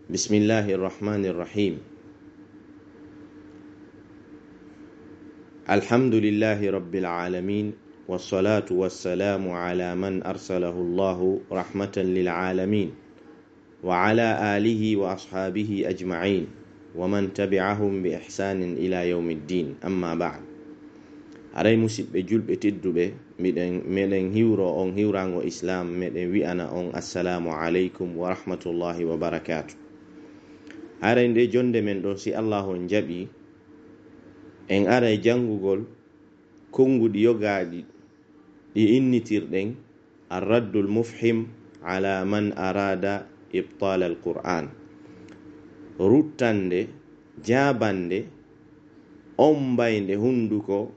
بسم الله الرحمن الرحيم. الحمد لله رب العالمين، والصلاة والسلام على من أرسله الله رحمة للعالمين، وعلى آله وأصحابه أجمعين، ومن تبعهم بإحسان إلى يوم الدين. أما بعد، aray musidɓe julɓe tedduɓe, miɗen hiwro on hiwrango islam meɗen wi'ana on assalamu aleykum wa rahmatullahi wa barakatuh. aray nde jonde men ɗo, si Allah on jaɓi, en aray jangugol konguɗi yogaɗi ɗi innitirɗen arraddul mufhim ala man arada ibtal al-Qur'an, ruttande jabande on baynde hunduko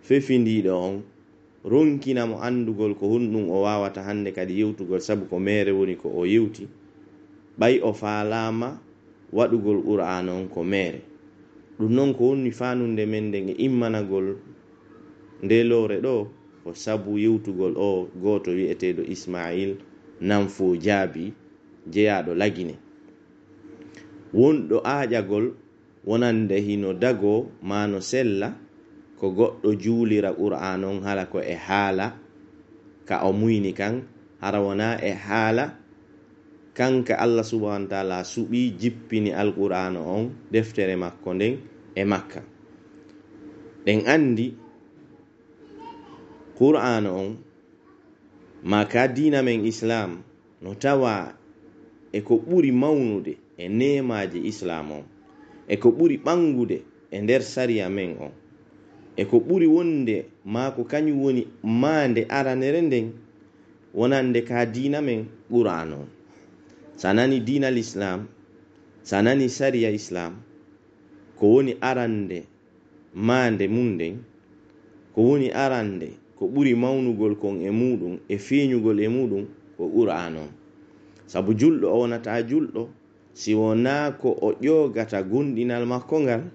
fefindiɗo on, ronkinamo andugol ko hunɗum o wawata hande kadi yewtugol, sabu ko mere woni ko o yewti, ɓay o falama waɗugol Qur'an on ko mere. ɗum non ko woni fanunde men nden e immanagol nde lore ɗo ko sabu yewtugol o goto wi'eteɗo Ismail Nanfo Jaabi jeyaɗo lagine, wonɗo aƴagol wonande hino dago mano sella ko goɗɗo juulira Qur'an on hala ko e haala ka o muyni kan, hara wona e haala kanka Allah subhanahu wa ta'ala suɓi jippini al-Qur'an on deftere makko nden e Makka. ɗen andi Qur'an on maka dina men Islam no tawa e ko ɓuri mawnude e nemaji Islam on, e ko ɓuri ɓangude e nder sariya men on, e ko ɓuri wonde maako kañum woni mande aranere nden wonande ka dina men Qur'an on. sanani dina l'Islam, sanani sariya Islam, ko woni arande mande mum nden, ko woni arande ko ɓuri mawnugol kon e muɗum e feeñugol e muɗum ko Qur'an on. sabu julɗo o wonata julɗo si wona ko o ƴogata gonɗinal makko ngal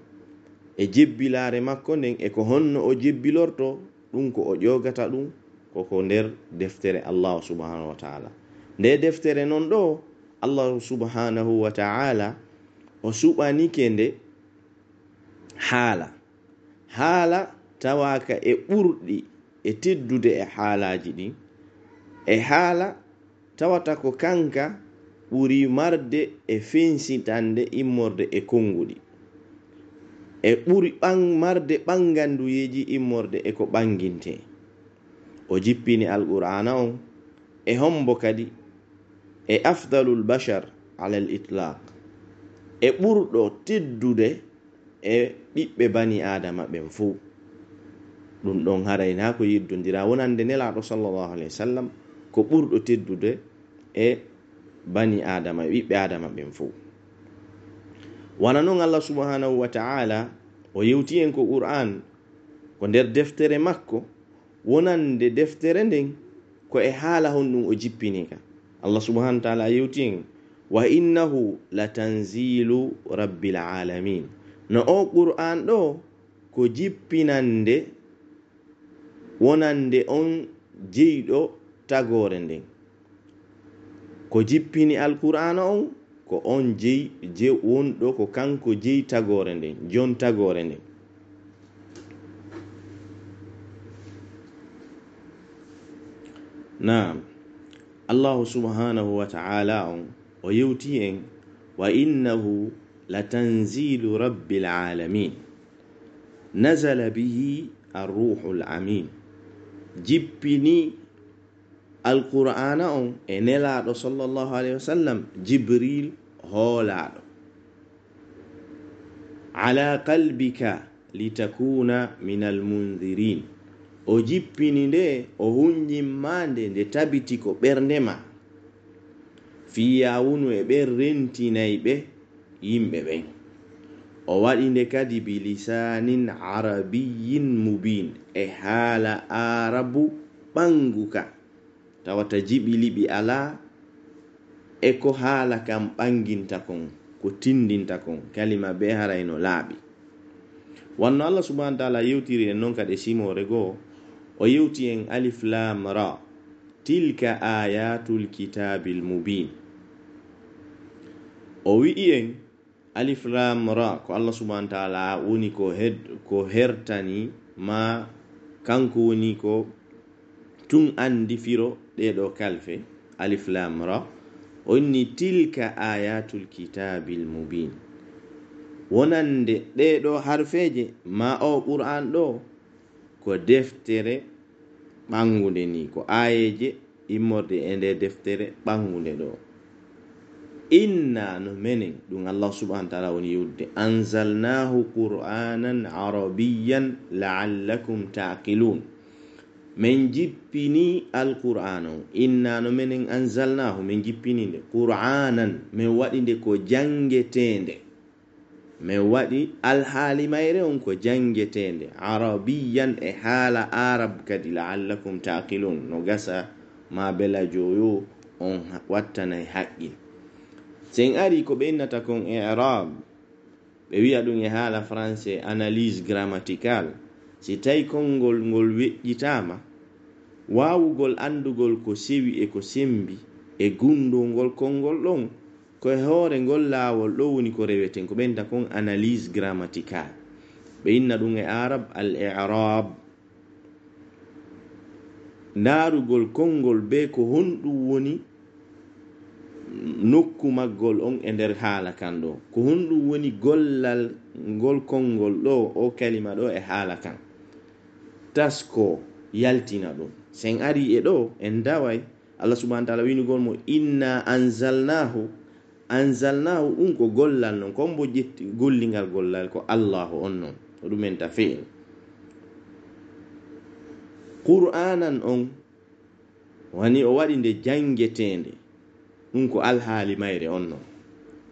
e jebbilare makko nden, e ko honno o jebbilorto ɗum, ko o ƴogata ɗum koko nder deftere Allah subhanahu wa ta'ala. nde deftere non ɗo Allah subhanahu wa ta'ala o suɓanike nde haala tawaka e ɓurɗi e teddude e haalaji ɗin, e haala tawata ko kanka ɓuri marde e fensitande immorde e konguɗi, e ɓuri marde ɓanganduyeji immorde e ko ɓanginte. o jippini al-Qur'ana on e hombo kadi e afdalul bashar ala al-itlaq, e ɓurɗo teddude e ɓiɓɓe bani adama ɓen fuu. ɗum ɗon harayna ko yiddodira wonande nelaɗo sallallahu alaihi wasallam ko ɓurɗo teddude e bani adama, ɓiɓɓe adama ɓen fuu. wana noon Allah subhanahu wa ta'ala o yewti en ko Qur'an ko nder deftere makko wonande deftere nden ko e haala honɗum o jippinika. Allah subhanahu wa ta'ala yewti en wa innahu latanzilu rabbil alamin, no o Qur'an ɗo ko jippinande wonande on jeyɗo tagore nden, ko jippini al-Qur'ana on ko on wonɗo ko kanko jeyi tagore nden, jon tagore nden. Naam, Allah subhanahu wa ta'ala on o yewti en wa innahu latanzilu rabbil alamin nazala bihi ar-ruhul amin, jippini al-Qur'ana on e nelaɗo sallallahu alaihi wasallam Jibril hoolaɗo, ala qalbika litakuna minal munzirin, o jippini nde o hunñimmande nde tabiti ko ɓerdema, fiyawunu e ɓe rentinayɓe yimɓe ɓen. o waɗi nde kadi bilisanin arabiyyin mubin, e haala arabu ɓanguka, tawata jiɓiliɓi ala e ko haala kam ɓanginta kon, ko tindinta kon, kalima be harayno laaɓi. wanno Allah subhanahu wa ta'ala yewtiri en non kadi simore goo, o yewti en alif lam ra, tilka ayatul kitabil mubin, o wi'i en alif lam ra ko Allah subhanahu wa ta'ala woni ko hertani ma kanko woni ko tun andi firo ɗeɗo kalfe alif lam ra onni tilka ayatul kitabil mubin wonande ɗeɗo harfeje ma o qur'an ɗo ko deftere ɓangude ni ko ayeje immorde e nde deftere ɓangude ɗo inna no menen ɗum Allah subhanahu wa ta'ala woni yudde anzalnahu qur'anan arabiyyan la'allakum taqilun min jippini alqur'an o inna no menen anzalnahu min jippini nde qur'anan min waɗi nde ko jangetende min waɗi alhaali mayre on ko jangetende arabiyyan e haala arab kadi la'allakum taqilun no gasa ma bela joyo on wattanay haqqil sen ari ko ɓe innata kon i'rab ɓe wi'a ɗum e haala français analyse grammaticale si tawi konngol ngol weƴƴitama wawugol andugol ko sewi e ko sembi e gundolngol konngol ɗon koye hoore ngol laawol ɗo woni ko reweten ko ɓenta kon analyse grammaticale ɓe inna ɗum e arab al i'rab ndaarugol konngol be ko honɗum woni nokku maggol on e nder haala kan ɗo ko honɗum woni gollal ngol konngol ɗo o kalima ɗo e haala kan tasko yaltina ɗum sen ari e ɗo en daway Allah subhanahu wa ta'ala winugol mo inna anzalnahu ɗum ko gollal non kon bo jetti gollingal gollal ko Allahu on non o ɗumen ta fi'il qur'anan on wani o waɗi nde jangetende ɗum ko alhaali mayre on non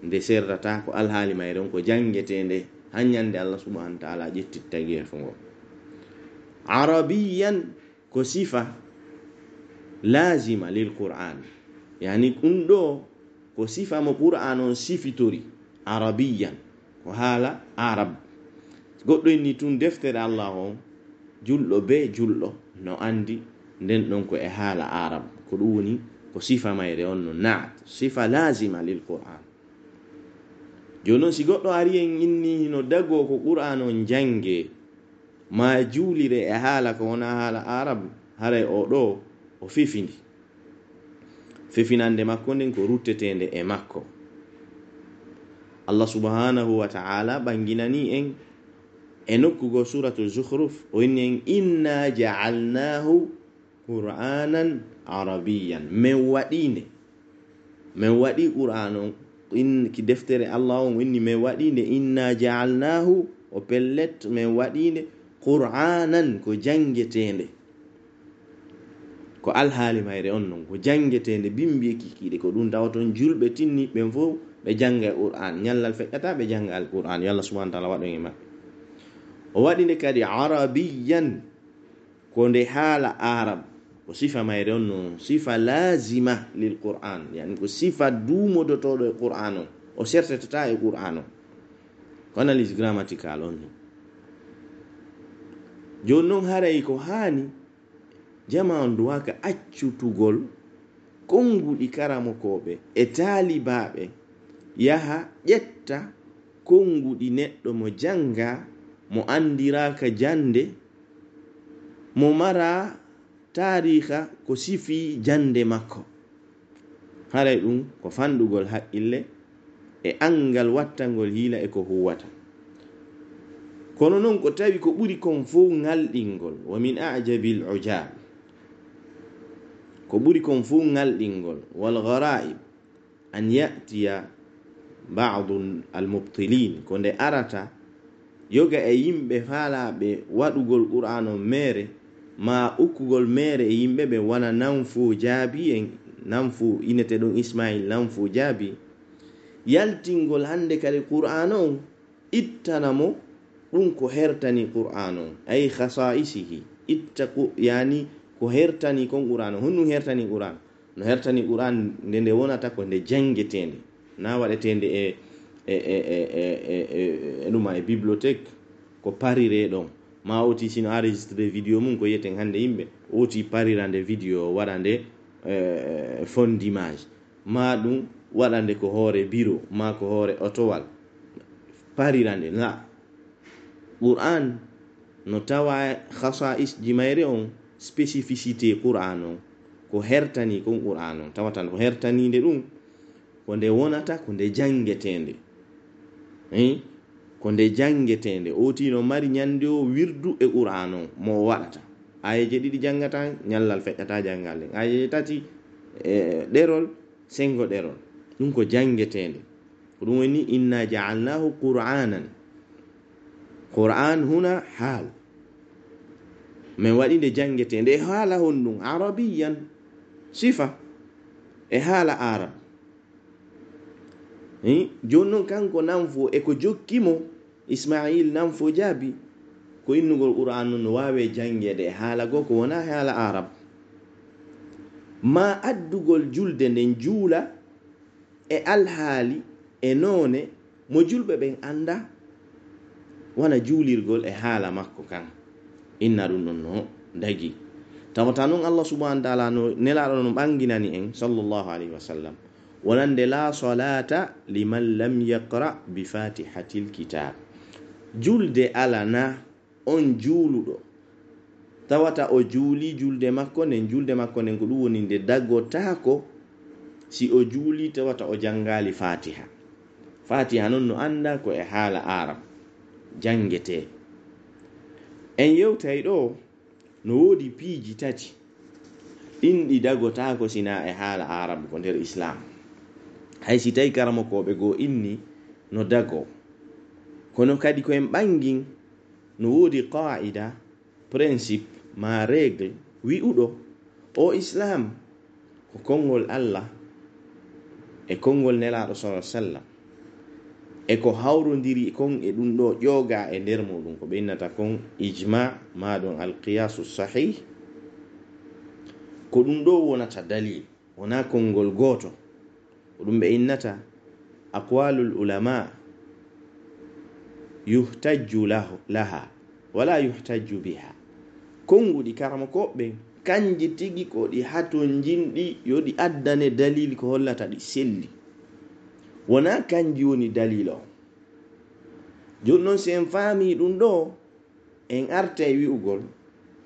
nde serrata ko alhaali mayre on ko jangetende hanyande Allah subhanahu wa ta'ala ƴettitta gefo ngo arabiyan ko sifa lazima lil qur'an yani ɗum ɗo ko sifa mo qur'an on sifitori arabiyan ko haala arab goɗɗo inni tun deftere Allah on julɗo be julɗo no andi nden ɗon ko e haala arab ko ɗum woni ko sifa mayre on no naat sifa lazima lil qur'an jonon si goɗɗo ari en inni no dago ko qur'an on jange ma juulire e haala ko wona haala arab haray o ɗo o fifindi fifinande makko nden ko ruttetende e makko Allah subhanahu wa ta'ala ɓanginani en e nokkugo suratul zukhruf o inni en inna ja'alnahu qur'anan arabiyyan min waɗi qur'an on ki deftere Allah on winni min waɗinde inna ja'alnahu o pellet min waɗinde qur'anan ko jangetende ko alhaali mayre on non ko jangetende bimbi kikiɗe ko ɗum tawaton julɓe tinni ɓen fof ɓe janga qur'an nyallal feƴƴata ɓe janga al qur'an yo Allah subhanahu wa ta'ala waɗon e maɓɓe o waɗinde kadi arabiyyan ko nde haala arab ko sifa mayre on non sifa lazima lil qur'an yani ko sifa dumodotoɗo e qur'an on o sertetata e qur'an on ko analyse grammatical on joni noon haray ko hani jama on duwaka accutugol konguɗi karamokoɓe e taalibaɓe yaha ƴetta konguɗi neɗɗo mo janga mo andiraka jande mo mara tariha ko sifi jande makko haray ɗum ko fandugol haqqille e angal wattangol hiila e ko huwata kono noon ko tawi ko ɓuri kon fof ngalɗingol wa min ajabil ujab ko ɓuri kon fof ngalɗingol wal gharaib an ya'tiya ba'du al mubtilin ko nde arata yoga e yimɓe faalaɓe waɗugol qur'an on mere ma ukkugol mere e yimɓe ɓe wona nanfu jaabi en nanfu inete ɗon Ismail nanfu jaabi yaltingol hande kadi qur'an on ittana mo ɗum ko hertani qur'an on ay khasa'isihi itta yani ko hertani kon qur'an on honɗum hertani qur'an no hertani qur'an nde wonata ko nde jangetende na waɗetende e ɗuma e bibliothèque ko parire ɗon ma oti sino enregistré vidéo mum ko yeten hande yimɓe oti parirande vidéo waɗa nde fond d'image ma ɗum waɗande ko hoore biro ma ko hoore otowal parirande la. Qur'an no tawa khasa'is jimayre on spécificité Qur'an on ko hertani kon Qur'an on tawatan ko hertaninde ɗum ko nde wonata ko nde jangetende ko nde jangetende oti no mari nyande o wirdu e Qur'an on mo waɗata ayeje ɗiɗi jangata nyallal feƴƴata jangal ayeje tati ɗerol sengo ɗerol ɗum ko jangetende ko ɗum woni inna ja'alnahu qur'anan. Qur'an huna hal min waɗi nde jangetende e haala honɗum arabiyan sifa e haala arab joni noon kanko nanfo e ko jokkimo Ismail nanfo jaabi ko innugol Qur'an no wawe jangede e haala go ko wona haala arab ma addugol julde nden juula e alhaali e noone mo julɓe ɓen anda wana juulirgol e haala makko kan inna ɗum ɗon no dagi tawata noon Allah subhanahu wa ta'ala no nelaɗo no ɓanginani en sallallahu alayhi wa sallam wonande la salata liman lam yaqra bi fatihatil kitab julde alana on juuluɗo tawata o juuli julde makko nden ko ɗum woni nde daggotako si o juuli tawata o jangali fatiha non no anda ko e haala arab jangete en yewtay ɗo no woodi piiji tati ɗin ɗi dagotako sina e haala arab ko nder islam hay si tawi karamokoɓe goo inni no dago kono kadi ko en ɓangin no woodi qaida principe ma règle wi'uɗo o islam ko konngol Allah e konngol nelaɗo sallallahu alaihi wasallam e ko hawrodiri kon e ɗum ɗo ƴooga e nder muɗum ko ɓe innata kon ijma ma ɗon alqiyasu sahih ko ɗum ɗo wonata dalil wona konngol goto ko ɗum ɓe innata aqwalul ulama yuhtajju laha wala yuhtajju biha konguɗi karama koɓɓe kanji tigi ko ɗi haton jinɗi yo ɗi addane dalil ko hollata ɗi selli wona kanji woni dalil o joni noon si en faami ɗum ɗo en arta e wi'ugol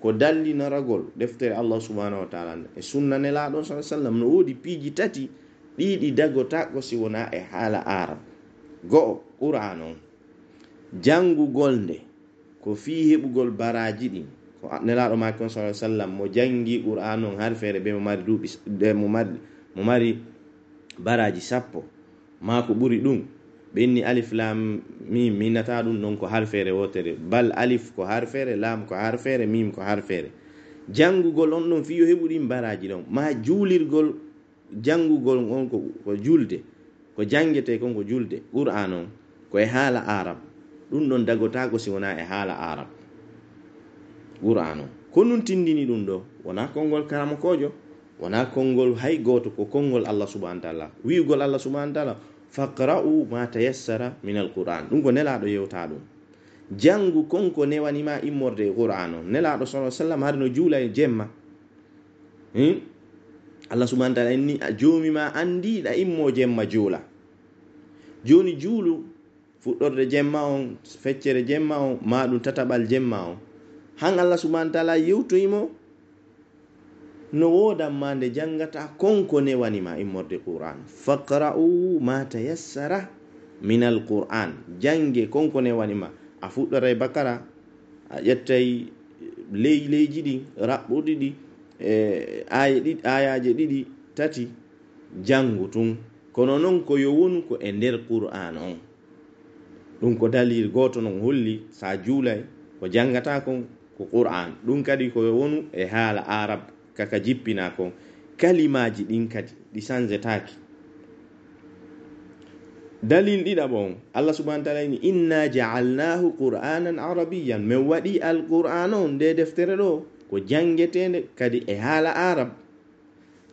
ko dallinaragol deftere Allah subhanahu wa ta'ala e sunna nelaɗo sallallahu alaihi wasallam no woodi piiji tati ɗiɗi dagota ko si wona e haala arab go'o Qur'an on jangugol nde ko fi heɓugol baraji ɗin ko nelaɗo makon sallallahu alaihi wasallam mo jangi Qur'an on har feere be mo mari duuɓi mo mari baraji 10 ma ko ɓuri ɗum ɓenni alif lam mim minata ɗum non ko har feere wotere bal alif ko har feere lam ko har feere mim ko har feere jangugol on ɗon fi yo heɓu ɗin baraji ɗon ma juulirgol jangugol on ko julde ko jangete kon ko julde Qur'an on ko e haala arab ɗum ɗon dagotago si wona e haala arab Qur'an on ko nun tindini ɗum ɗo wona konngol karamakojo wona konngol hay goto ko konngol Allah subhanahu wa ta'ala wi'ugol Allah subhanahu wa ta'ala faqra'u ma tayassara min alquran ɗum ko nelaɗo yewta ɗum jangu konko newanima immorde Qur'an on nelaɗo sallallahu alaihi wasallam har no juula e jemma Allah subhanahu wa ta'ala ni joomi ma andiɗa immo jemma juula joni juulu fuɗɗorde jemma on feccere jemma on ma ɗum tataɓal jemma on han Allah subhanahu wa ta'ala yewtoyimo no wodanma nde jangata konko newanima immorde Qur'an faqra'u ma tayassara min alquran jange konko newanima a fuɗɗoray bakara a ƴettay leyji ɗi raɓɓuɗi ɗi ayaje ɗiɗi tati jangu tun kono non ko yo wonu ko e nder Qur'an on ɗum ko dalil goto non holli sa juulay ko jangata kon ko Qur'an ɗum kadi ko yo wonu e haala arab kaka jippina kon kalimaji ɗin kadi ɗi sanzetaki dalil ɗiɗaɓon Allah subhanahu wa ta'ala ni inna ja'alnahu qur'anan arabiyyan min waɗi alqur'an on nde deftere ɗo ko jangetende kadi e haala arab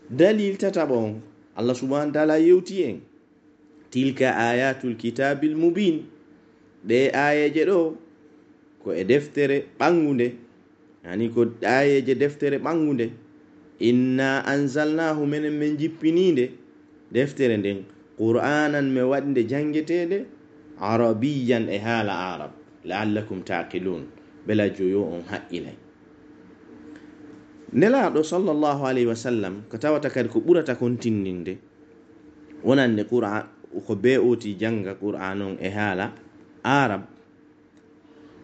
dalil tataɓon Allah subhanahu wa ta'ala yewti en tilka ayatul kitabil mubin ɗe ayeje ɗo ko e deftere ɓangunde yani ko ayeje deftere ɓangunde inna anzalnahu menen min jippininde deftere nden qur'anan me wadde jangetede arabiyan e haala arab la'allakum taqilun bela joyo on haqqilay. Nelaɗo sallallahu alaihi wasallam ko tawata kadi ko ɓurata kontindinde wonande qur'an ko be oti janga qur'an on e haala arab.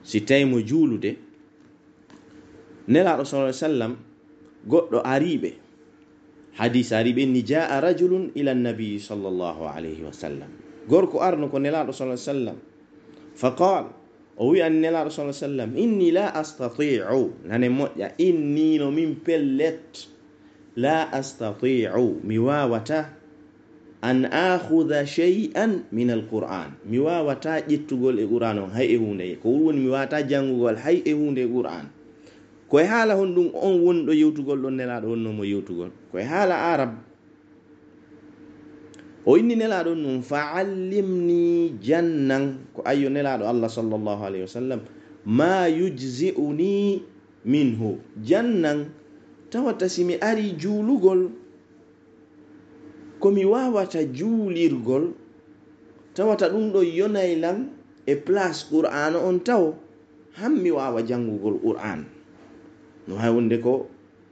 Si tawi mo juulude nelaɗo sallallahu alaihi wasallam goɗɗo ariɓe hadis ariɓe ni jaa rajulun ila nabi sallallahu alaihi wasallam, gorko arno ko nelaɗo sallallahu alaihi wasallam faqal o wi an nelaɗo sallallahu alaihi wasallam inni la astati'u nane moƴƴa inni no min pellet la astati'u mi wawata an akhudha shay'an min alquran mi wawata ƴettugol e qur'an on hay e hunde ko woni mi wawata jangugol hay e hunde qur'an koye haala hon ɗum on wonɗo yewtugol ɗon nelaɗo wonno mo yewtugol koye haala arab. O inni nelaɗo ɗum fa'allimni jannan ko ayyo nelaɗo Allah sallallahu alaihi wasallam ma yujzi'uni minhu jannan tawata simi ari juulugol komi wawata juulirgol tawata ɗum ɗo yonaylam e place qur'an on taw hammi wawa jangugol qur'an no hay wonde ko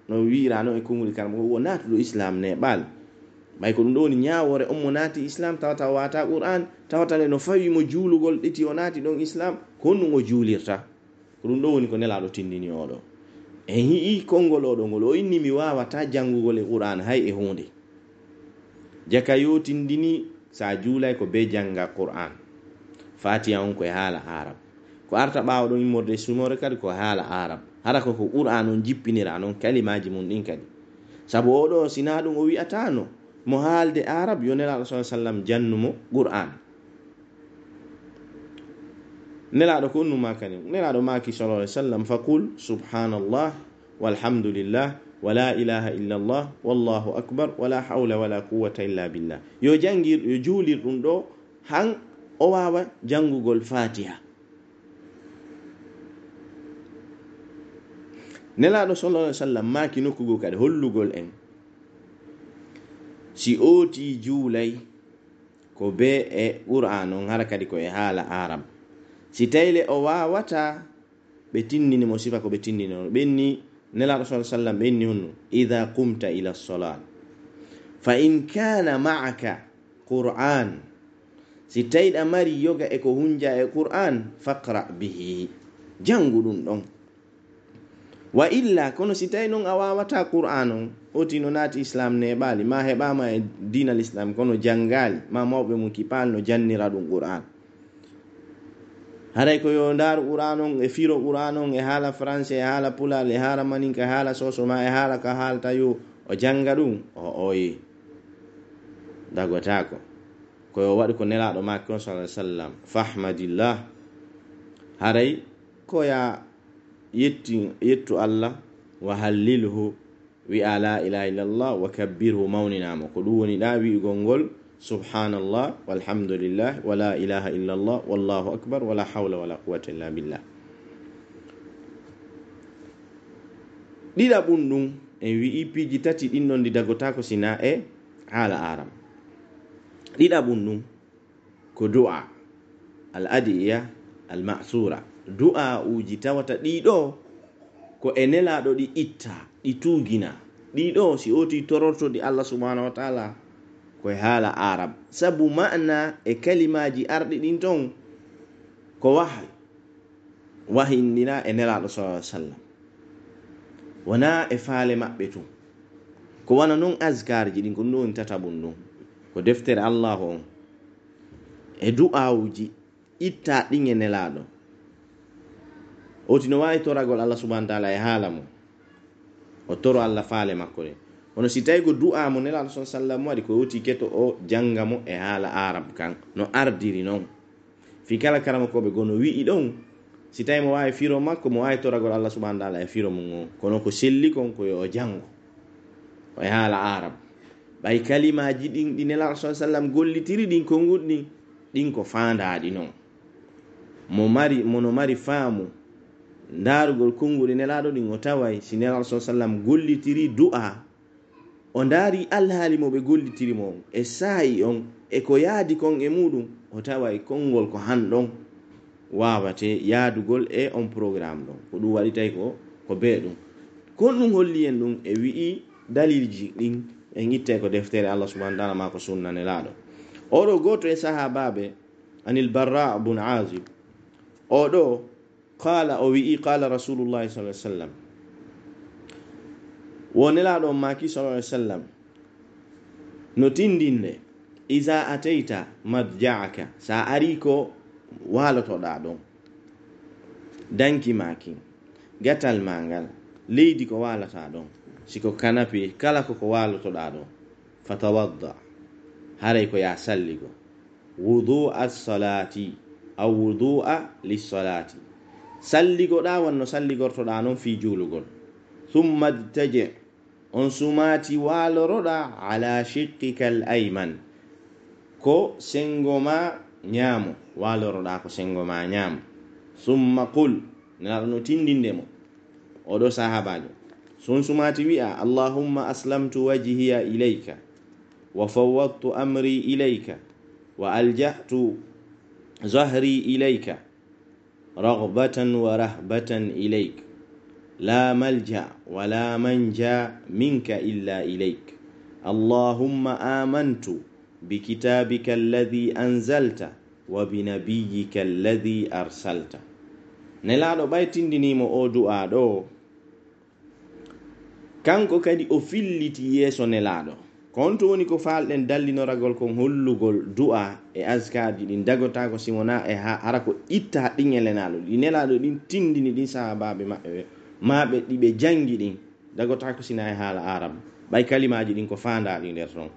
no wirano e kongol kam o natuɗo islam neɓal bay ko ɗum ɗo woni ñawore on mo naati islam tawata wata qur'an tawata no fawi mo juulugol ɗiti o naati ɗon islam ko honɗum o juulirta ko ɗum ɗo woni ko nelaɗo tindini oɗo en hi'i kongol oɗo ngol o inni mi wawata jangugol e qur'an hay e hunde jaka yo tindini sa juulay ko be janga qur'an fatiha on koye haala arab ko arta ɓawo ɗon immorde sumore kadi ko haala arab hara ko qur'an on jippinira non kalimaji mum ɗin kadi sabu oɗo sina ɗum o wi'atano mo haalde arab yo nelaɗo sallallahu alaihi wasallam jannumo qur'an. Nelaɗo ko onnuma kadi nelaɗo maki sallallahu alaihi wasallam faqul subhanallah walhamdulillah wala ilaha illa allah wallahu akbar wala hawla wala quwwata illa billah yo jangir yo juulir ɗum ɗo han o wawa jangugol fatiha. Nelaɗo sallallahu alaihi wasallam maki nokkugo kadi hollugol en si oti juulay ko be e qur'an on hara kadi ko e haala arab si tayle o wawata ɓe tinnini mo sifa ko ɓe tinnini on ɓenni nelaɗo sallallahu alaihi wasallam ɓenni honno idha qumta ila salat fa in kana ma'aka qur'an si tayɗa mari yoga e ko hunja e qur'an faqra bihi jangu ɗum ɗon wa illa kono si tawi non a wawata qur'an on oti no naati islam neɓali ma heɓama e dinal islam kono jangali ma mawɓe mum kipal no jannira ɗum qur'an haray ko yo ndar qur'an on e firo qur'an on e haala français e haala pulal e haala maninka e haala sosoma e haala ka haalta yo o janga ɗum o oyi dagotako koyo waɗi ko nelaɗo makko on sallallahu alaihi wasallam fahmadillah haray koya yettu Allah wa hallilhu wi ala ilaha illallah wa kabbirhu mawninamo ko ɗum woni ɗa wi'ugol ngol subhanallah walhamdulillah wala ilaha illallah wallahu akbar wala hawla wala quwwata illa billah. Ɗiɗaɓum ɗum en wi'i piji tati ɗin ɗon ɗi dagotako sina e haala aram. Ɗiɗaɓum ɗum ko du'a al adiya al ma'sura du'a uji tawata ɗiɗo ko e nelaɗo ɗi itta ɗi tugina ɗiɗo si oti torortodi Allah subhanahu wa ta'ala koye haala arab sabu ma'na e kalimaji arɗi ɗin ton ko wahindina e nelaɗo sallallahu alaihi wasallam wona e faale maɓɓe tun ko wana non azkarji ɗin ko ɗum woni tatabum ɗum ko deftere Allah on e du'awuji itta ɗin e nelaɗo oti no wawi toragol Allah subhanahu wa ta'ala e haala mo o toro Allah faale makko de ono si tawi ko du'a mo nelaɗo sallallahu alaihi wasallam waɗi ko oti keto o janga mo e haala arab kan no ardiri non fi kala karama koɓe gono wi'i ɗon si tawi mo wawi firo makko mo wawi toragol Allah subhanahu wa ta'ala e firo mum o kono ko selli kon ko yo jango o e haala arab ɓay kalimaji ɗin ɗi nelaɗo sallallahu alaihi wasallam gollitiri ɗin ko goɗɗi ɗin ko fandaɗi non mono mari faamu ndarugol konngol nelaɗo ɗin o taway si nelaɗo sallallahu alaihi wasallam gollitiri du'a o ndaari alhaali mo ɓe gollitirimo on e saayi on e ko yaadi kon e muɗum, o taway konngol ko hanɗon waawate yaadugol e on programme ɗon. Ko ɗum waɗitay ko bee ɗum. Kon ɗum holli en ɗum e wi'i dalilji ɗin e ngittay ko deftere Allah subhanahu wa ta'ala ma ko sunna nelaaɗo. Oɗo gooto e sahaabaaɓe anil Barra bun Azib, oɗo qala o wi'i qala rasulullahi sallallahu alaihi wasallam, wonelaaɗo maaki sallallahu alaihi wasallam no tindinde iza ataita madja'aka, sa ari ko walotoɗa ɗon danki maaki gatal mangal leydi ko walata ɗon siko kanapi kala ko walotoɗa ɗon fatawadda haray ko ya salligo wudu'a salati aw wudu'a lis-salati, salligoɗa wanno salligortoɗa non fi julugol. Thumma taji on sumati waloroɗa ala shiqqika al-ayman, ko sengoma ñaamo waloroɗa ko sengoma ñaamo. Thumma qul, nelaɗo no tindindemo oɗo sahabajo, son sumati wi'a allahumma aslamtu wajhiya ilayka wa fawwadtu amri ilayka wa alja'tu zahri ilayka raghbatan wa rahbatan ilayk la malja wa la manja minka illa ilayk allahumma amantu bikitabika alladhi anzalta wa binabiyyika alladhi arsalta. Nelaɗo ɓaytindinimo o du'a ɗo, kanko kadi o filliti yeeso nelaɗo. Kon to woni ko falɗen dallinoragol kon hollugol du'a e azkarji ɗin dagotako simona e hara ko itta haɗɗin e lenaɗo ɗi nelaɗo ɗin tindini ɗin sahabaɓe maɓe ɗiɓe jangi ɗin dagotako sina e haala arab ɓay kalimaji ɗin ko fandaɗi nder ton.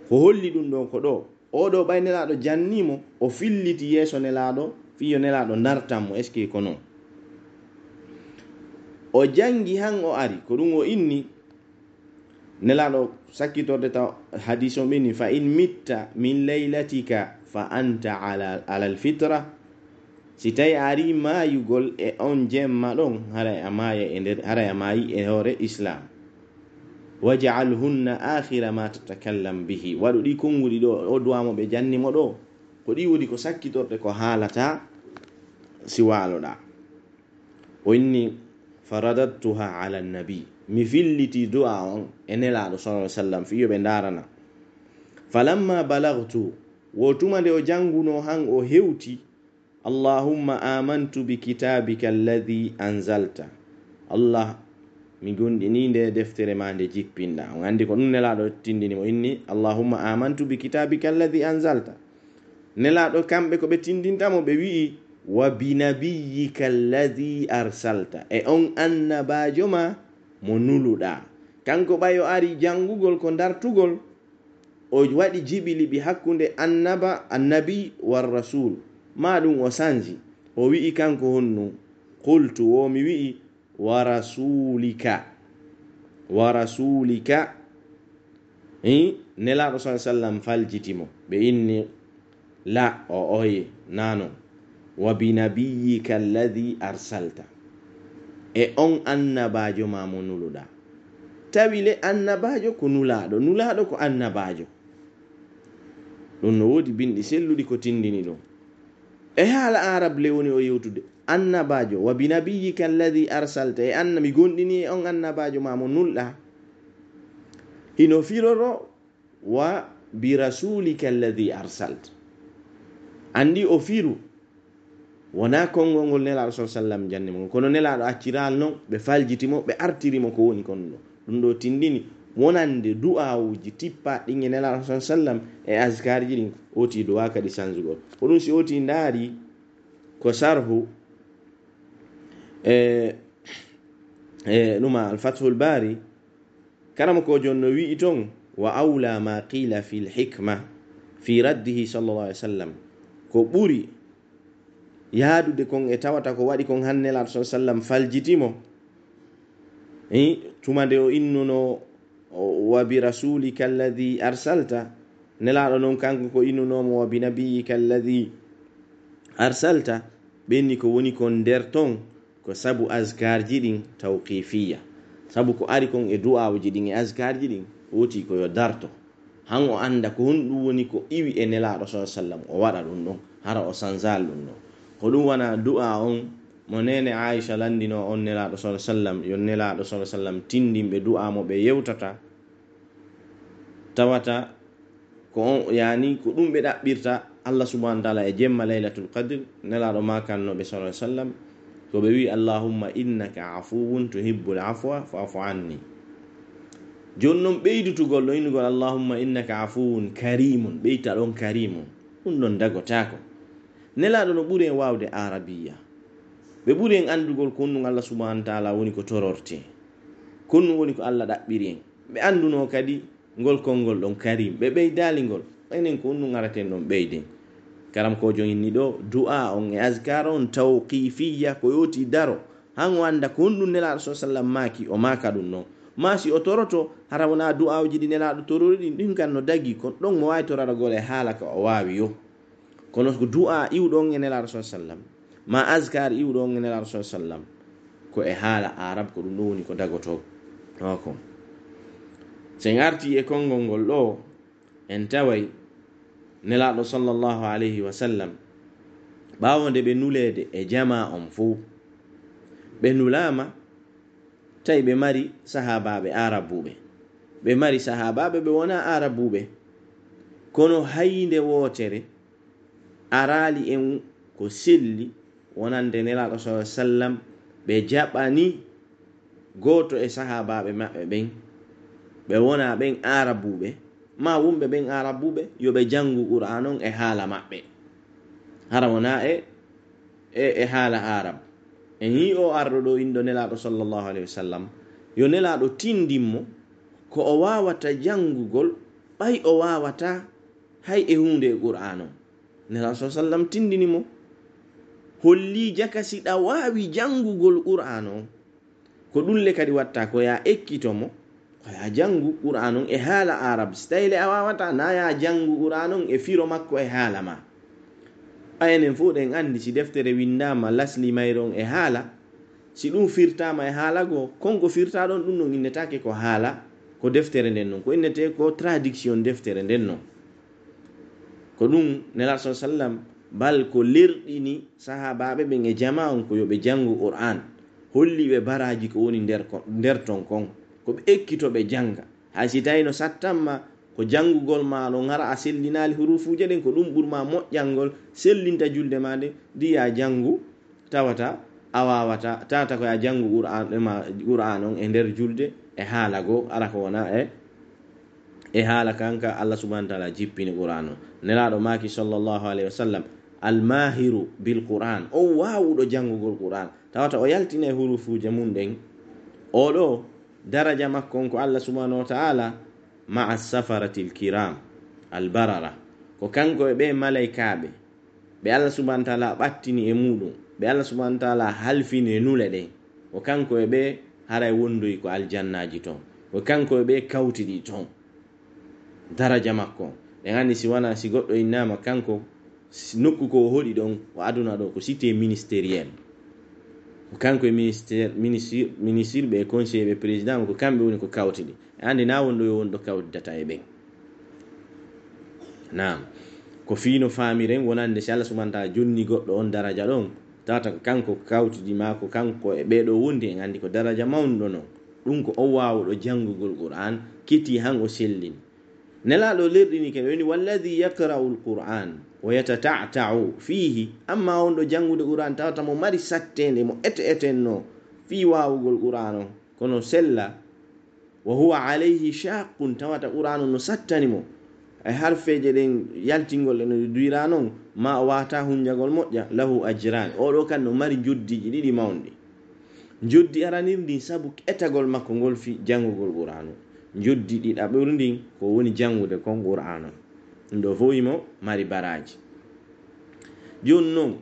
Ko holli ɗum ɗon ko ɗo oɗo ɓay nelaɗo jannimo o filliti yeeso nelaɗo fiyo nelaɗo dartanmo est ce que ko non o jangi han o ari ko ɗum o inni nelaɗo sakkitorde taw hadis o ɓeni fa in mitta min laylatika fa anta ala alfitra, si tawi a ari mayugol e on jemma ɗon haray a maya e nder haray a mayi e hoore islam. waj'alhunna akhira ma tatakallam bihi, waɗu ɗi konguɗi ɗo o duwamo ɓe jannimo ɗo ko ɗi wodi ko sakkitorde ko haalata si waloɗa. o inni faradattuha ala nabi, mi filliti du'a on e nelaɗo sallallahu alaihi wasallam fiyo ɓe darana. falamma balagtu, wotuma nde o janguno han o hewti allahumma amantu bi kitabika alladhi anzalta, allah mi gondini nde deftere ma nde jippinɗa. on andi ko ɗum nelaɗo tindini mo inni allahumma amantu bi kitabika alladhi anzalta. nelaɗo kamɓe ko ɓe tindintamo ɓe wi'i wa binabiyyika alladhi arsalta, e on annabajo ma mo nuluɗa. kanko ɓayo ari jangugol ko dartugol o waɗi jibili bi hakkunde annabi war rasul ma ɗum o sanji o wi'i kanko honnu qultu wo mi wi'i wa rasulika nelaɗo sallallahu alaihi wasallam faljitimo ɓe inni la o oye nano wa binabiyyika alladhi arsalta, e on annabajo ma mo nuluɗa. tawile annabajo ko nulaɗo ko annabajo, ɗum no wodi bindi selluɗi ko tindini ɗum e haala arab le woni o yewtude annabajo wa binabiyyika alladhi arsalta, e mi gondini e on annabajo ma mo nulɗa. hino firoro wa bi rasulika alladhi arsalta, andi o firu wona konngol ngol nelaɗo sallallahu alaihi wasallam jannimo, kono nelaɗo acciral non ɓe faljitimo ɓe artirimo ko woni kon ɗo. ɗum ɗo tindini wonande du'awuji tippa ɗin e nelaɗo sallallahu alaihi wasallam e azkarji ɗin oti du'a kadi sanjugol. ko ɗum si oti ndaari ko sarhu numa al-fathul bari, karama ko jonno wi'i ton wa awla ma qila fil hikma fi raddihi sallallahu alaihi wasallam, ko ɓuri yaadude kon e tawata ko waɗi kon han nelaɗo sallallahu alaihi wasallam faljitimo tuma nde o innuno wa bi rasulika alladhi arsalta, nelaɗo non kanko ko innunomo wa bi nabiyyika alladhi arsalta, ɓenni ko woni kon nder ton ko sabu azkarji ɗin tawqifiyya, sabu ko ari kon e du'awuji ɗin e azkarji ɗin woti ko yo darto han o anda ko honɗum woni ko iwi e nelaɗo sallam o waɗa ɗum ɗon hara o sanzal ɗum ɗon ko ɗum wana du'a on mo nene Aisha landino on nelaɗo sallam yo nelaɗo sallam tindinɓe du'a mo ɓe yewtata tawata ko on yani ko ɗum ɓe ɗaɓɓirta Allah subhanahu wa ta'ala e jemma laylatul qadr nelaɗo makannoɓe sallam ko ɓe wi allahumma innaka afuwun tuhibbul afwa fa'fu anni. Jonnon ɓeydutugol ɗo innugol allahumma innaka afuwun karimun ɓeyta ɗon karimun ɗum ɗon dagotako. Nelaɗo no ɓuri en wawde arabiya ɓe ɓuri en andugol ko ɗum Allah subhanahu wa ta'ala woni ko tororte ko ɗum woni ko Allah ɗaɓɓiri en ɓe anduno kadi ngol konngol ɗon karim ɓe ɓeydali ngol enen ko ɗum araten ɗon ɓeyden. Karam ko joni ɗo du'a on e azkar on tawqifiyya ko yoti daro han o anda ko ɗum nelaɗo sallam maki o maka ɗum non masi o toroto hara wona du'awji ɗi nelaɗo torori ɗin ɗin kan no dagi ko ɗon mo wawi toraragol e haala ka o wawi yo kono ko du'a iwɗon e nelaɗo sallam ma azkar iwɗon e nelaɗo sallam ko e haala arab ko ɗum ɗo woni ko dagoto ko sen arti e konngol ngol ɗo en taway nelaɗo sallallahu alayhi wa sallam ɓawonde ɓe nulede e jama on fo ɓe nulama tawi ɓe mari sahabaɓe arabuɓe ɓe mari sahabaɓe ɓe wona arabuɓe kono hayinde wotere arali en ko selli wonande nelaɗo sallam ɓe jaɓani goto e sahabaɓe maɓɓe ɓen ɓe wona ɓen arabuɓe ma wumɓe ɓen arabuɓe yoɓe jangu qur'an on e haala maɓɓe hara wona e haala arab en yi o arɗo ɗo indo nelaɗo sallallahu alayhi wa sallam yo nelaɗo tindinmo ko o wawata jangugol ɓay o wawata hay e hunde e qur'an on nelaɗo sallam tindinimo holli jakasi ɗa wawi jangugol qur'an on ko ɗulle kadi watta ko ya ekkitomo ya jangu qur'an on e haala arab so tawi a wawata na ya jangu qur'an on e firo makko e haala ma enen fo ɗen andi si deftere windama lasli mayron e haala si ɗum firtama e haala go konko firta ɗon ɗum non innetake ko haala ko deftere nden non ko innete ko traduction deftere nden non ko ɗum nelaɗo sallam bal ko lerɗini sahabaɓe ɓen e jama on ko yoɓe jangu qur'an holli ɓe baraji ko woni nder ton kon ko ɓe ekkitoɓe janga hay si tawi no sattanma ko jangugol ma no ngara a sellinali hurufuje ɗen ko ɗum ɓurma moƴƴalngol sellinta julde ma nde ndiya jangu tawata a wawata tawata ko ya jangu qur'an on e nder julde e haala go ara ko wona e haala kanka Allah subhanahu wa ta'ala jippini qur'an on nelaɗo maki sallallahu alayhi wa sallam almahiru bil qur'an o wawuɗo jangugol qur'an tawata o yaltina e hurufuje mum ɗen oɗo daraja makko on ko Allah subhanahu wa ta'ala ma'a safaratil kiram albarara ko kanko e ɓe malaikaɓe ɓe Allah subhanahu wa ta'ala ɓattini e muɗum ɓe Allah subhanahu wa ta'ala halfini e nule ɗen ko kanko e ɓe haray wondoyi ko aljannaji ton ko kanko e ɓe kawtiɗi ton daraja makko en andi si wana si goɗɗo innama kanko nokku ko hoɗi ɗon o aduna ɗo ko cité ministériel kanko e ministre ɓe conseiller ɓe président ko kamɓe woni ko kawtiɗi andi na wonɗo yo wonɗo kawtidata e ɓen nam ko fiino famiren wonande si Allah subhanahu wa ta'ala jonni goɗɗo on daraja ɗon tawata ko kanko kawtidi ma ko kanko e ɓeɗo wondi en andi ko daraja mawnuɗo non ɗum ko o wawuɗo jangugol qur'an kiti han o sellini nelaɗo lerɗini ken woni walladhi yaqra'u alquran wa yatata'ta'u fihi amma on ɗo jangude qur'an tawata mo mari sattende mo etenno fi wawugol qur'an on kono sella wa huwa alayhi shaqqun tawata qur'an no sattani mo e harfeje ɗen yaltingol no duira non ma o wata hunjagol moƴƴa lahu ajran oɗo kan no mari joddiji ɗiɗi mawɗi joddi aranirdi sabu etagol makko ngol fi jangugol qur'an joddi ɗiɗa ɓurdin ko woni jangude kon qur'an ɗum ɗo fo yimo mari baraji joni noon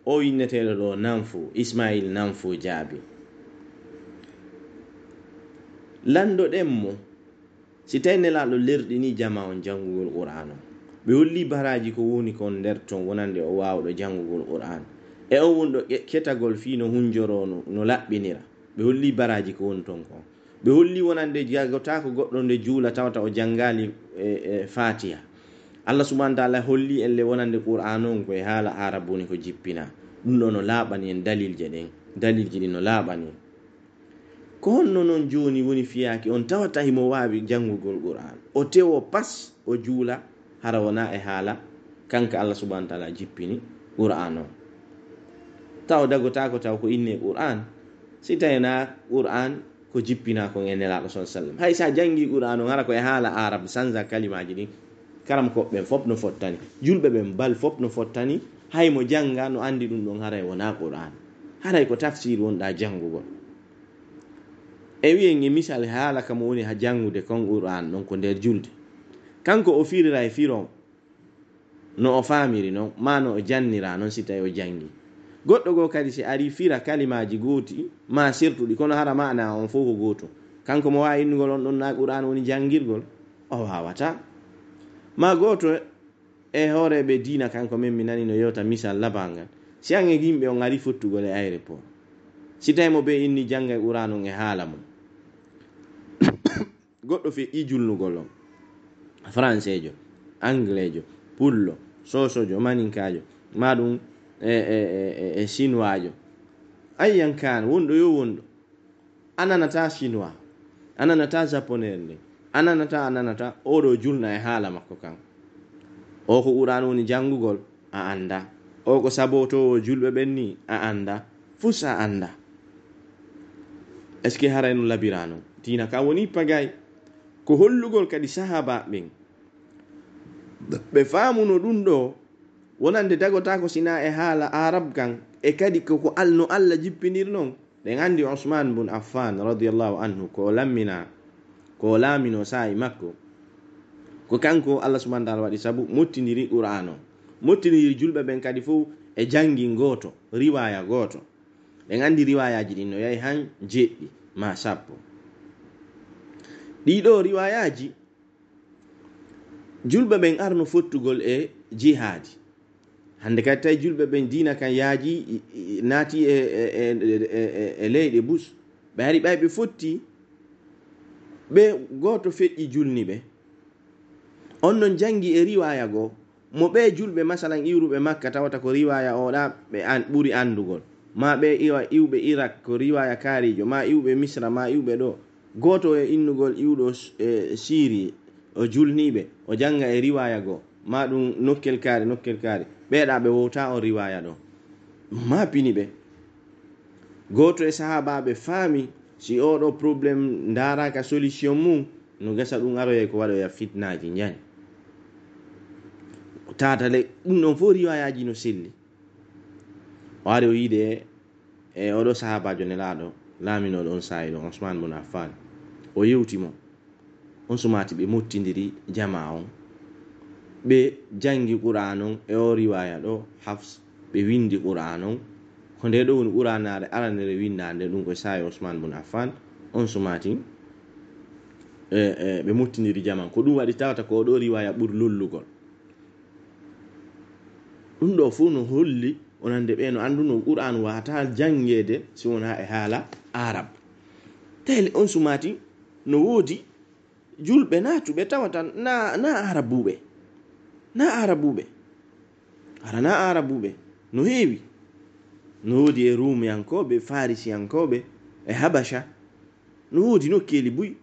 o inneteɗo ɗo nanfo Ismail nanfo jaabi lando ɗemmo si tawi nelaɗo lerɗini jama on jangugol qur'an ɓe holli baraji ko woni kon nder ton wonande o wawɗo jangugol qur'an e on wonɗo ketagol fi no hunjoro no laɓɓinira ɓe holli baraji ko woni ton kon ɓe holli wonande jagotako goɗɗo nde juula tawata o jangali fatiha. Allah subhanahu wa ta'ala holli elle wonande qur'an on koye haala arabu ni ko jippina. ɗum ɗo no laaɓani en dalilje ɗin no laaɓani en. ko honno noon joni woni fiyaki on tawata himo wawi jangugol qur'an o tewo pas o juula hara wona e haala kanka Allah subhanahu wa ta'ala jippini qur'an o taw dagotako taw ko inne qur'an si tawina qur'an ko jippina ko nelaɗo sallallahu alaihi wasallam. hay sa jangi qur'an on hara ko e haala arab sanza kalimaji ɗin karam koɓɓen fop no fottani, julɓe ɓen bal fop no fottani, hay mo janga no andi ɗum ɗon haray wona qur'an, haray ko tafsir wonɗa jangugol. e wiyen e misal haala kam woni ha jangude kon qur'an ɗon ko nder julde, kanko o firira e firom no o famiri non ma no o jannira non si tawi o jangi. goɗɗo go kadi si ari fira kalimaji goti ma sirtuɗi kono hara mana on fof ko goto, kanko mo wawi innugol on ɗon na qur'an woni jangirgol, o wawata. ma goto e horeɓe diina kanko men mi nani no yewta misal labangal, si an e yimɓe on ari fottugol e aéroport, si tawi mo ɓe inni janga e qur'an on e haala mum, goɗɗo fe i julnugol on français jo, anglais jo, pullo, sosojo, maninkajo, maɗum e chinois jo, ayyan kan wonɗo yo wonɗo, ananata chinois, ananata japonais nde, ananata oɗo julna e haala makko kan, o ko qur'an woni jangugol a anda, o ko sabotowo julɓe ɓen ni a anda, fus a anda. est ce que haray no labira non? Diina ka woni pagay ko hollugol kadi sahaba ɓen ɓe famuno ɗum ɗo wonande dagotako sina e haala arab kan, e kadi koko no Allah jippinir non. ɗen andi Usman bun Affan radiyallahu anhu ko laamino sa'i makko, ko kanko Allah subhanahu wa ta'ala waɗi sabu mottidiri qur'an o, mottidiri julɓe ɓen kadi fof e jangi goto, riwaya goto. ɗen andi riwayaji ɗin no yahi han jeɗɗi ma sappo. ɗiɗo riwayaji julɓe ɓen arno fottugol e jihadi. hande kadi tawi julɓe ɓen dina kan yaaji naati e leyɗe bus, ɓe ari ɓay ɓe fotti ɓe goto feƴƴi julni ɓe, on non jangi e riwaya goo mo ɓe julɓe masalan iwruɓe makka tawata ko riwaya oɗa ɓe ɓuri andugol, ma ɓe iwɓe Irak ko riwaya kaarijo, ma iwɓe Misra, ma iwɓe ɗo, goto e innugol iwɗo Syrie o julniɓe o janga e riwaya goo, ma ɗum nokkel kaari ɓeeɗa ɓe wowta on riwaya ɗo, ma pini ɓe. goto e sahabaɓe faami si oɗo probléme daraka solution mum no gasa ɗum aroye ko waɗoya fitnaji jani tatale ɗum ɗon fof riwayaji no selli. o ari o yiide e oɗo sahabajo nelaɗo laaminoɗo on sayi ɗo Usman bun Affan, o yewtimo on sumati ɓe mottidiri jama on, ɓe jangi qur'an on e o riwaya ɗo Hafs, ɓe windi qur'an on ko nde ɗo woni qur'anare aranere windande ɗum ko sayi Usman bun Affan, on sumati ɓe mottidiri jama ko ɗum waɗi tawata ko ɗo riwaya ɓuri lollugol. ɗum ɗo fu no holli onande ɓe no anduno qur'an wata jangede si wona e haala arab. tele on sumati no woodi julɓe natuɓe tawata na arabuɓe hara na arabuɓe no heewi, no woodi e rumiyankoɓe, farisiyankoɓe e habasha, no woodi nokkeli buy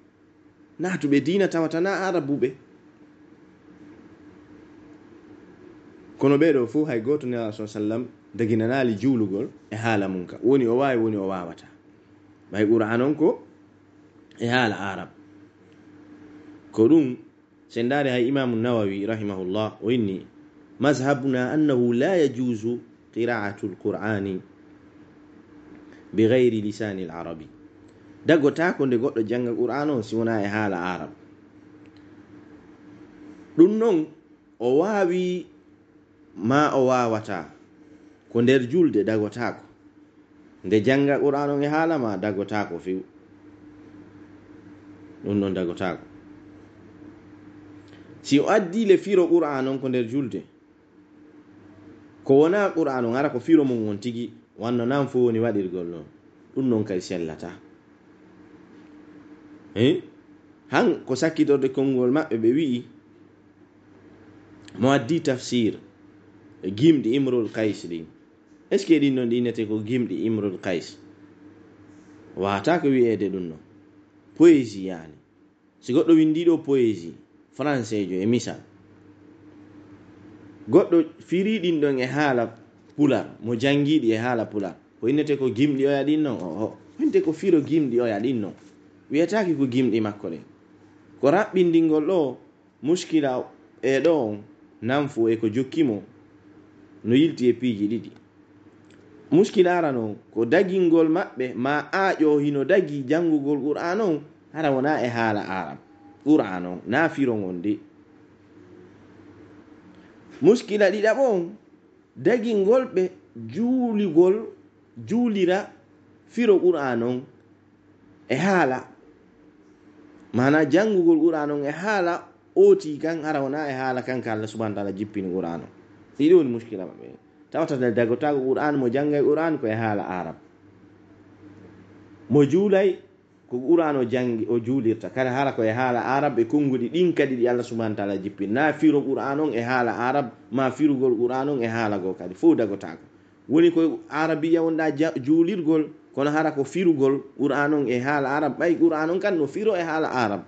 natuɓe diina tawata na arabuɓe. kono ɓeɗo fof hay goto ne sallallahu alaihi wasallam daginanali juulugol e haala mum ka, woni o wawi woni o wawata, ɓay qur'an on ko e haala arab. ko ɗum sen daari hay imamu Nawawi rahimahullah o inni mazhabuna annahu la yajuzu qira'atu alqur'ani bighayri lisani al-arabi. dagotako nde goɗɗo janga qur'an o si wona e haala arab. ɗum non o wawi ma o wawata ko nder julde dagotako, nde janga qur'an on e haala ma dagotako few, ɗum non dagotako. si o addi le firo qur'an on ko nder julde, ko wona qur'an on ara ko firo mum won tigi wanno nan fo woni waɗirgol non, ɗum non kadi sellata. han ko sakkitorde konngol maɓɓe ɓe wi'i mo addi tafsir gimɗi imrul kays ɗin est ce que ɗin noon ɗinete ko gimɗi imrul kays wata ko wi'ede ɗum noon poésie yani si goɗɗo windiɗo poésie français jo e misal goɗɗo firiɗin ɗon e haala pular mo jangiɗi e haala pular ko innete ko gimɗi oya ɗin noon o winte ko firo gimɗi oya ɗin noon wiyataki ko gimɗi makko ɗen ko raɓɓindingol ɗo muskila e ɗo on nanfu e ko jokkimo no yilti e piiji ɗiɗi muskila ara noon ko dagingol maɓɓe ma aaƴo hino dagi jangugol qur'an on hara wona e haala arab qur'an on na firo ngon de muskila ɗiɗaɓo on dagingol ɓe juulira firo qur'an on e haala mana jangugol qur'an on e haala oti kan hara wona e haala kanka Allah subhanahu wa ta'ala jippini qur'an on ɗiɗi woni muskila maɓɓe tawata dagotago qur'an mo jangay qur'an ko e haala arab mo juulay ko qur'an o jangi o juulirta kala haala ko e haala arab e konngudi ɗin kadi ɗi Allah subhanahu wa ta'ala jippini na firo qur'an on e haala arab ma firugol qur'an on e haala go kadi fof dagotago woni ko arabiya wonɗa juulirgol kono hara ko firugol qur'an on e haala arab ɓay qur'an on kan no firo e haala arab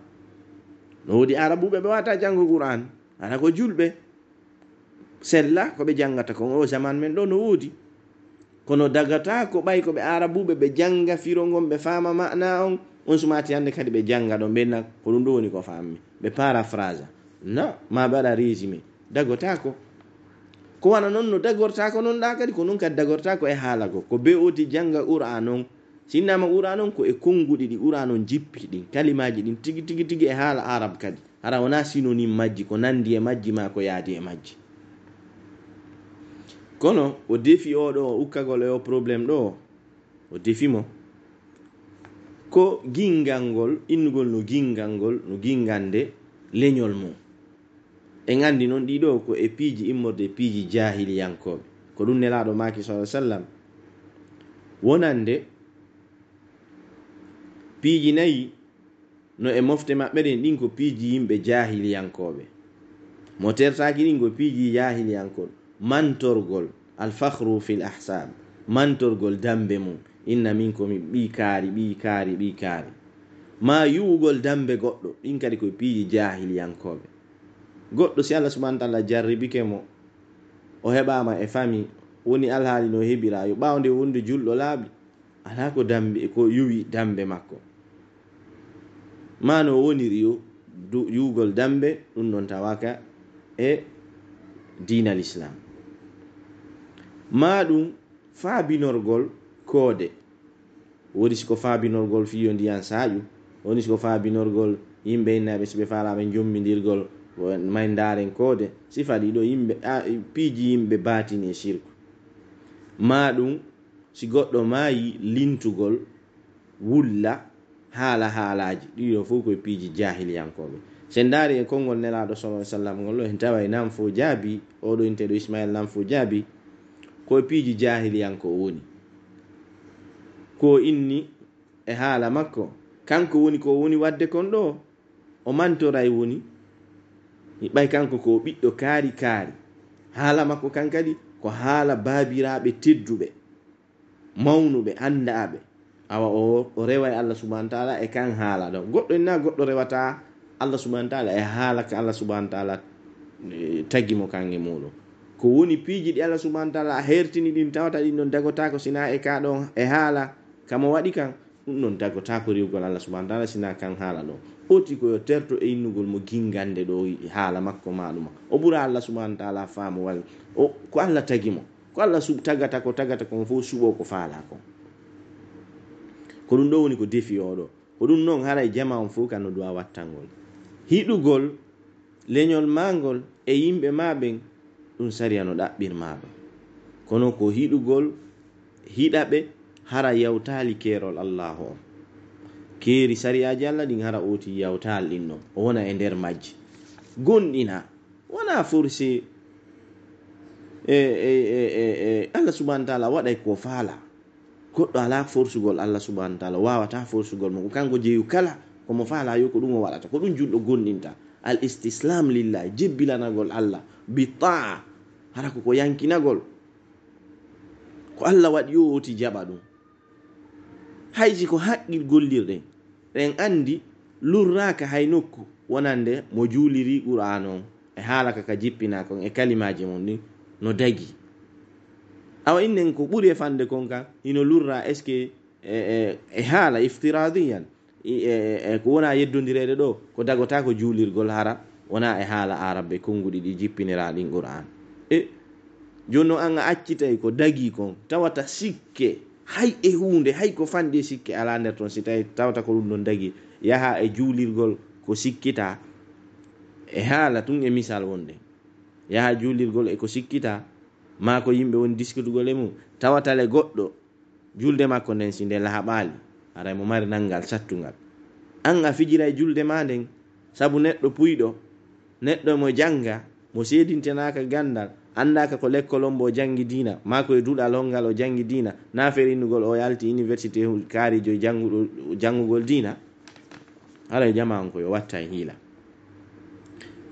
no wodi arabuɓe ɓe wata janngo qur'an hara ko julɓe sella ko ɓe jangata kon o zaman men ɗo no woodi kono dagata ko ɓay ko ɓe arabuɓe ɓe janga firo ngon ɓe fama ma'na on sumati hande kadi ɓe janga ɗo ɓenna ko ɗum ɗo woni ko fammi ɓe paraphrase no ma ɓe waɗa résumé dagotako ko wana noon no dagortako noon ɗa kadi ko noon kadi dagortako e haala go ko be oti janga qur'an on sinnama qur'an on ko e konguɗi ɗi qur'an on jippi ɗin kalimaji ɗin tigi tigi e haala arab kadi hara wona synonyme majji ko nandi e majji ma ko yaadi e majji kono o defi oɗo o ukkagol e o probléme ɗo o defi mo ko gingal ngol innugol no gingande leñol mum en andi noon ɗiɗo ko e piiji immorde piiji jahiliyankoɓe ko ɗum nelaɗo maki sallam wonande piiji nayi no e mofte maɓɓe ɗen ɗin ko piiji yimɓe jahiliyankoɓe mo tertaki ɗin ko piiji jahiliyankoɓe mantorgol alfakhru fil ahsab mantorgol dambe mum inna min komi ɓi kaari ma yuwugol dambe goɗɗo ɗin kadi koye piiji jahiliyankoɓe goɗɗo si Allah subhanahu wa ta'ala jarribike mo o heɓama e fami woni alhaali no heɓira yo ɓawde wonde julɗo laaɓi ala ko dambe ko yuwi dambe makko ma no woniri yo yuwugol dambe ɗum non tawaka e diinal islam ma ɗum faabinorgol koode woni siko faabinorgol fiyo ndiyan saaƴu woni siko faabinorgol yimɓe innaɓe so ɓe faalaɓe jommidirgol may ndaren koode sifa ɗiɗo yimɓe piiji yimɓe batini e shirku ma ɗum si goɗɗo maayi lintugol wulla haalaji ɗiɗo fof koye piiji jahiliyankoɓe sen daari e konngol nelaɗo sallallahu alaihi wasallam ngol en tawa nam fo jaabi oɗo inteɗo Ismail nam fo jaabi koye piiji jahiliyanko woni ko inni e haala makko kanko woni ko woni wadde kon ɗo o mantoray woni ɓay kanko ko ɓiɗɗo kaari haala makko kan kadi ko haala baabiraɓe tedduɓe mawnuɓe andaɓe awa o rewa e Allah subhanahu wa ta'ala e kan haala ɗo goɗɗo enna goɗɗo rewata Allah subhanahu wa ta'ala e haala ka Allah subhanahu wa ta'ala tagi mo kange muɗum ko woni piiji ɗi Allah subhanahu wa ta'ala hertini ɗin tawata ɗin non dagotako sina e ka ɗon e haala kamo waɗi kan ɗum non dagotako riwgol Allah subhanahu wa ta'ala sina kan haala ɗo oti koyo terto e innugol mo gingande ɗo haala makko maɗuma o ɓura Allah subhanahu wa ta'ala faamu walla ko Allah tagi mo ko Allah tagata kon fof suɓo ko faala kon ko ɗum ɗo woni ko defi oɗo ko ɗum noon haray jama on fof kan no duwa wattangol hiɗugol leñol mangol e yimɓe maɓen ɗum sariya no ɗaɓɓirmaɗo kono ko hiɗugol hiɗaɓe hara yawtali keerol Allahu on keeri sariyaji Allah ɗin hara oti yawtal ɗin noon o wona e nder majji gonɗina wona forcé Allah subhanahu wa ta'ala waɗay ko faala goɗɗo ala forsugol Allah subhanahu wa ta'ala wawata forsugol mo ko kanko jeeyu kala komo faala yo ko ɗum o waɗata, ko ɗum julɗo gonɗinta. al istislam lillah, jebbilanagol Allah bi ta'a, hara ko yankinagol ko Allah waɗi yo oti jaɓa ɗum. hayji ko haqqil gollirɗen ɗen andi lurraka hay nokku wonande mo juuliri qur'an on e haalaka ka jippina kon e kalimaji mon ni no dagi. awa innen ko ɓuri e fande kon kan hino lurra est ce que e haala iftiradiyan ko wona yeddodirede ɗo ko dagota ko juulirgol hara wona e haala arabe konguɗi ɗi jippiniraɗin qur'an. joni noon an a accitay ko dagi kon tawata sikke hay e hunde hay ko fandi sikke ala nder ton, si tawi tawata ko ɗum ɗon dagi yaha e juulirgol ko sikkita e haala tun e misal wonde yaha juulirgol e ko sikkita ma ko yimɓe woni diskutugol e mum tawatale goɗɗo julde makko nden si nde lahaɓali aray mo mari nangal sattugal, an a fijira e julde ma nden sabu neɗɗo puyɗo, neɗɗo mo janga, mo seedintenaka gandal, andaka ko lekkol on bo jangi dina, ma ko e duɗal hongal o jangi dina, na ferinnugol o yalti université kaarijo jangugol dina. haray jama on ko yo watta e hiila.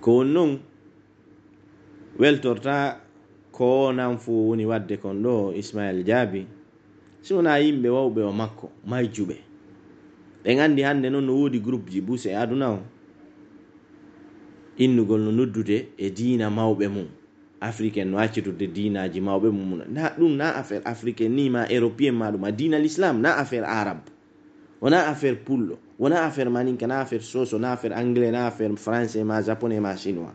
ko non weltorta ko nan fu woni wadde kon ɗo Ismail Jaabi, si wona yimɓe wawɓe o makko mayjuɓe ɓen andi hande noon no woodi groupe ji bus e aduna o innugol no noddude e diina mawɓe mum africaine, no accitude diinaji mawɓe mum. na ɗum na affaire africaine ni ma européen ma ɗum a diina l'islam, na affaire arabe, wona affaire pullo, wona affaire maninka, na affaire soso, na affaire anglais, na affaire français ma japonais ma chinois.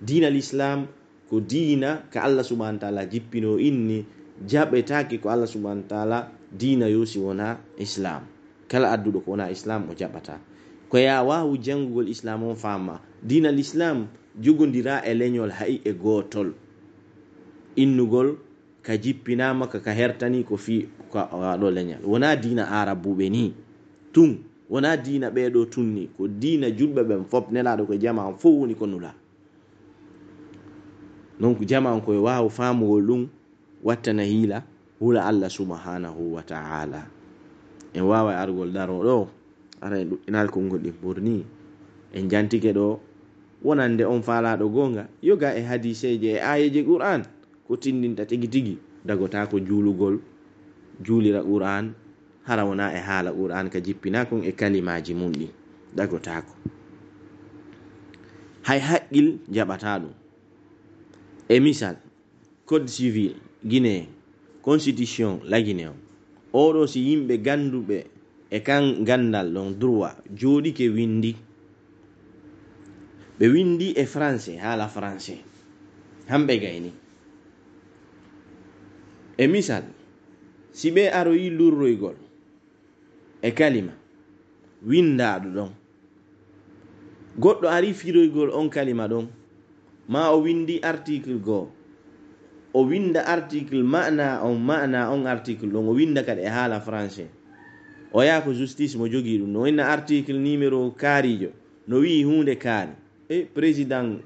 diina l'islam ko diina ka Allah subhanahu wa ta'ala jippino inni jaɓetaki ko Allah subhanahu wa ta'ala diina yosi wona islam. kala adduɗo ko wona islam o jaɓata. ko ya wawu jangugol islam on fama diina l'islam jogodira e leñol hay e gotol, innugol ka jippinama ka hertani ko fi ko waɗo leñal, wona diina arabuɓe ni tun, wona diina ɓeɗo tunni, ko diina julɓe ɓen fop nelaɗo ko jama on fof woni ko nula. donc jama on koye wawu famugol ɗum wattana hiila hula Allah subhanahu wa ta'ala. en wawa argol daro ɗo ara en ɗuɗɗinal konngol ɗi ɓurni en jantike ɗo wonande on faalaɗo gonga yoga e hadiseje e ayeje qur'an ko tindinta tigi tigi dagota ko juulugol juulira qur'an hara wona e haala qur'an ka jippina kon e kalimaji mum ɗi dagotako. hay haqqil jaɓata ɗum. e misal code civil guinéen, constitution la Guinée oɗo si yimɓe ganduɓe e kan gandal ɗon droit jooɗike windi, ɓe windi e français haala français hamɓe gayni. e misal si ɓe aroyi lurroygol e kalima windaɗo ɗon, goɗɗo ari firoygol on kalima ɗon, ma o windi article goo, o winda article ma'na on article ɗon o winda kadi e haala français, o yaha ko justice mo jogii ɗum no winna article numéro kaarijo no wi hunde kaari e président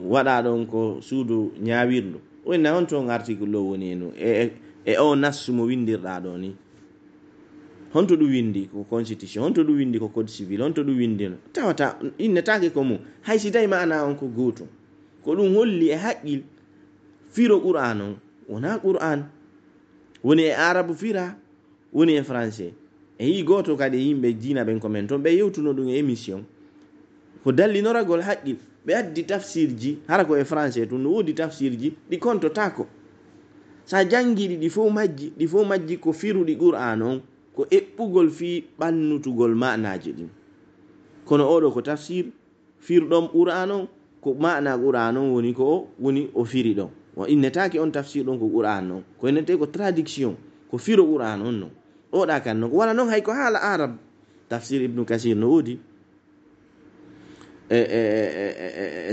waɗa ɗon ko suudu ñawirdu, o winna on toon article ɗo woni eno e o nassu mo windirɗa ɗo ni, honto ɗum windi ko constitution, honto ɗum windi ko code civil, honto ɗum windi no tawata innetake ko mum. hay si tawi ma'na on ko gotum, ko ɗum holli e haqqil firo qur'an on wona qur'an, woni e arabe fira, woni e français. e yi goto kadi yimɓe diina ɓen ko men toon ɓe yewtuno ɗum e émission ko dallinoragol haqqil, ɓe addi tafsir ji hara ko e français tun no woodi tafsir ji ɗi kontotako, sa jangiɗi ɗi fof majji ko firuɗi qur'an on ko eɓɓugol fi ɓannutugol ma'naji ɗin. kono oɗo ko tafsir firɗon qur'an on ko ma'na qur'an on woni ko woni o firi ɗon, o innetake on tafsir ɗon ko qur'an on, ko innete ko traduction ko firo qur'an on non. oɗa kan non wala non hay ko haala arab. tafsir ibnu kasir no woodi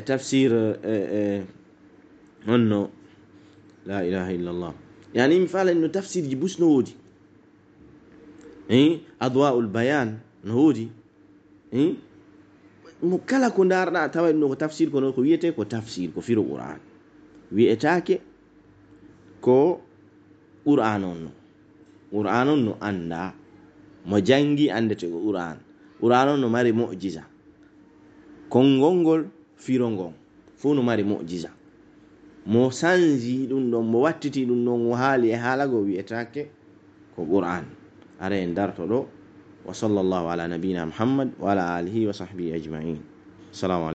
tafsir onno la ilaha illallah, yani mi faala no tafsir ji bus no woodi adwa'ul bayan no woodi mo kala ko darɗa tawa no ko tafsir kono ko wiyete ko tafsir ko firo qur'an, wiyetake ko qur'an on no anda mo jangi andete ko qur'an. qur'an no mari mu'jiza kongol ngol firongon fu no mari mu'jiza mo sanji ɗum ɗon mo wattiti ɗum ɗon o haali e haalago wi'etake ko qur'an. Ara en darto ɗo wa sallallahu ala nabina muhammad wa ala alihi wa sahbihi ajma'in. Assalamu alaikum.